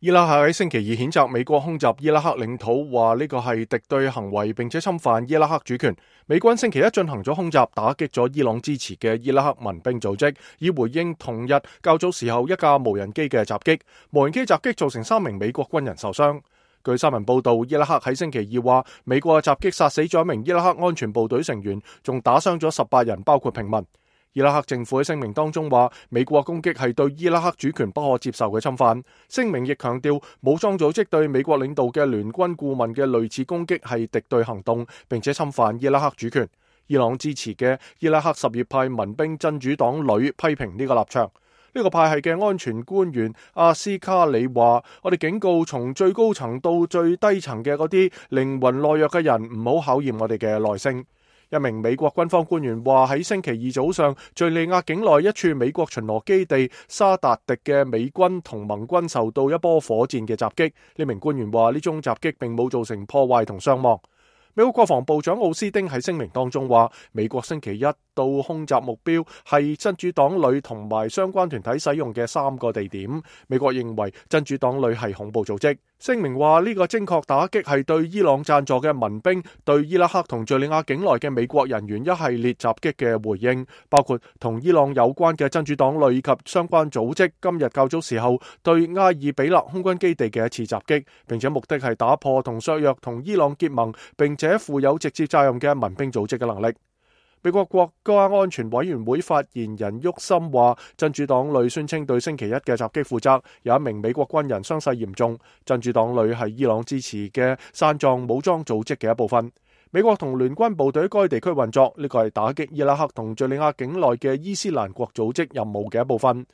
伊拉克喺星期二譴責美國空襲伊拉克領土，話呢個係敵對行為，並且侵犯伊拉克主權。美軍星期一進行咗空襲，打擊咗伊朗支持嘅伊拉克民兵組織，以回應同日較早時候一架無人機嘅襲擊。無人機襲擊造成3名美國軍人受傷。據新聞報道，伊拉克喺星期二話，美國嘅襲擊殺死咗一名伊拉克安全部隊成員，仲打傷咗18人，包括平民。伊拉克政府喺聲明當中話，美國攻擊係對伊拉克主權不可接受嘅侵犯。聲明亦強調，武裝組織對美國領導嘅聯軍顧問嘅類似攻擊係敵對行動，並且侵犯伊拉克主權。伊朗支持嘅伊拉克什葉派民兵真主黨旅批評呢個立場。呢個派系嘅安全官員阿斯卡里話，我哋警告從最高層到最低層嘅嗰啲靈魂懦弱嘅人，唔好考驗我哋嘅耐性。一名美國軍方官員話，喺星期二早上，敘利亞境內一處美國巡邏基地沙達迪嘅美軍同盟軍受到一波火箭嘅襲擊。呢名官員話，呢宗襲擊並冇造成破壞同傷亡。美國國防部長奧斯丁喺聲明當中話，美國星期一到空襲目標係真主黨旅同埋相關團體使用嘅3個地點。美國認為真主黨旅係恐怖組織。聲明話，呢個精確打擊係對伊朗贊助嘅民兵對伊拉克同敘利亞境內嘅美國人員一系列襲擊嘅回應，包括同伊朗有關嘅真主黨旅及相關組織今日較早時候對埃爾比勒空軍基地嘅一次襲擊，並且目的係打破同削弱同伊朗結盟並且負有直接責任嘅民兵組織嘅能力。美國國家安全委員會發言人沃森話，真主黨旅宣稱對星期一嘅襲擊負責，有一名美國軍人傷勢嚴重。真主黨旅係伊朗支持嘅散藏武裝組織嘅一部分。美國同聯軍部隊該地區運作，呢個係打擊伊拉克同敘利亞境內嘅伊斯蘭國組織任務嘅一部分。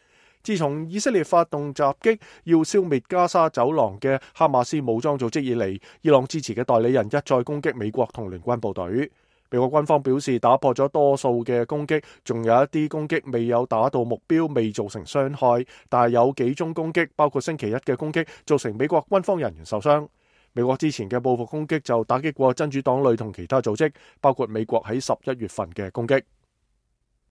自從以色列發動襲擊要消滅加沙走廊嘅哈馬斯武裝組織以嚟，伊朗支持嘅代理人一再攻擊美國同聯軍部隊。美國軍方表示打破咗多數嘅攻擊，仲有一啲攻擊未有打到目標，未造成傷害，但係有幾宗攻擊，包括星期一嘅攻擊，造成美國軍方人員受傷。美國之前嘅報復攻擊就打擊過真主黨旅同其他組織，包括美國喺11月份嘅攻擊。